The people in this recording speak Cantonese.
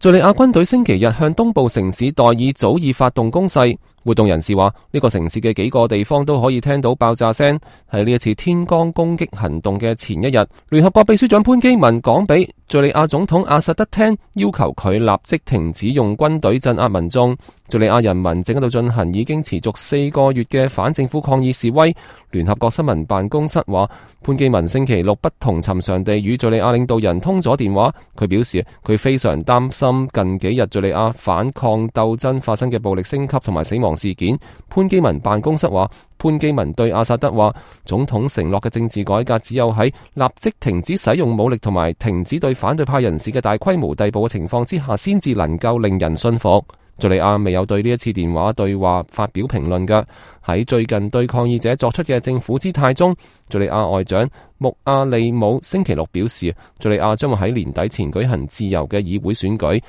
敘利亞軍隊星期日向東部城市代爾祖爾發動攻勢，活動人士話呢個城市嘅幾個地方都可以聽到爆炸聲。喺呢一次天光攻擊行動嘅前一日，聯合國秘書長潘基文講俾敘利亞總統阿薩德聽，要求佢立即停止用軍隊鎮壓民眾。敘利亞人民正喺度進行已經持續4個月嘅反政府抗議示威。聯合國新聞辦公室話，潘基文星期六不同尋常地與敘利亞領導人通咗電話，佢表示佢非常擔心近幾日敘利亞反抗鬥爭發生嘅暴力升級同埋死亡事件。潘基文辦公室話，潘基文對阿薩德話，總統承諾嘅政治改革只有喺立即停止使用武力同埋停止對反對派人士嘅大規模逮捕嘅情況之下，先至能夠令人信服。敘利亞未有對呢一次電話對話發表評論嘅。喺最近對抗議者作出嘅政府姿態中，敘利亞外長穆阿利姆星期六表示，敘利亞將會喺年底前舉行自由嘅議會選舉，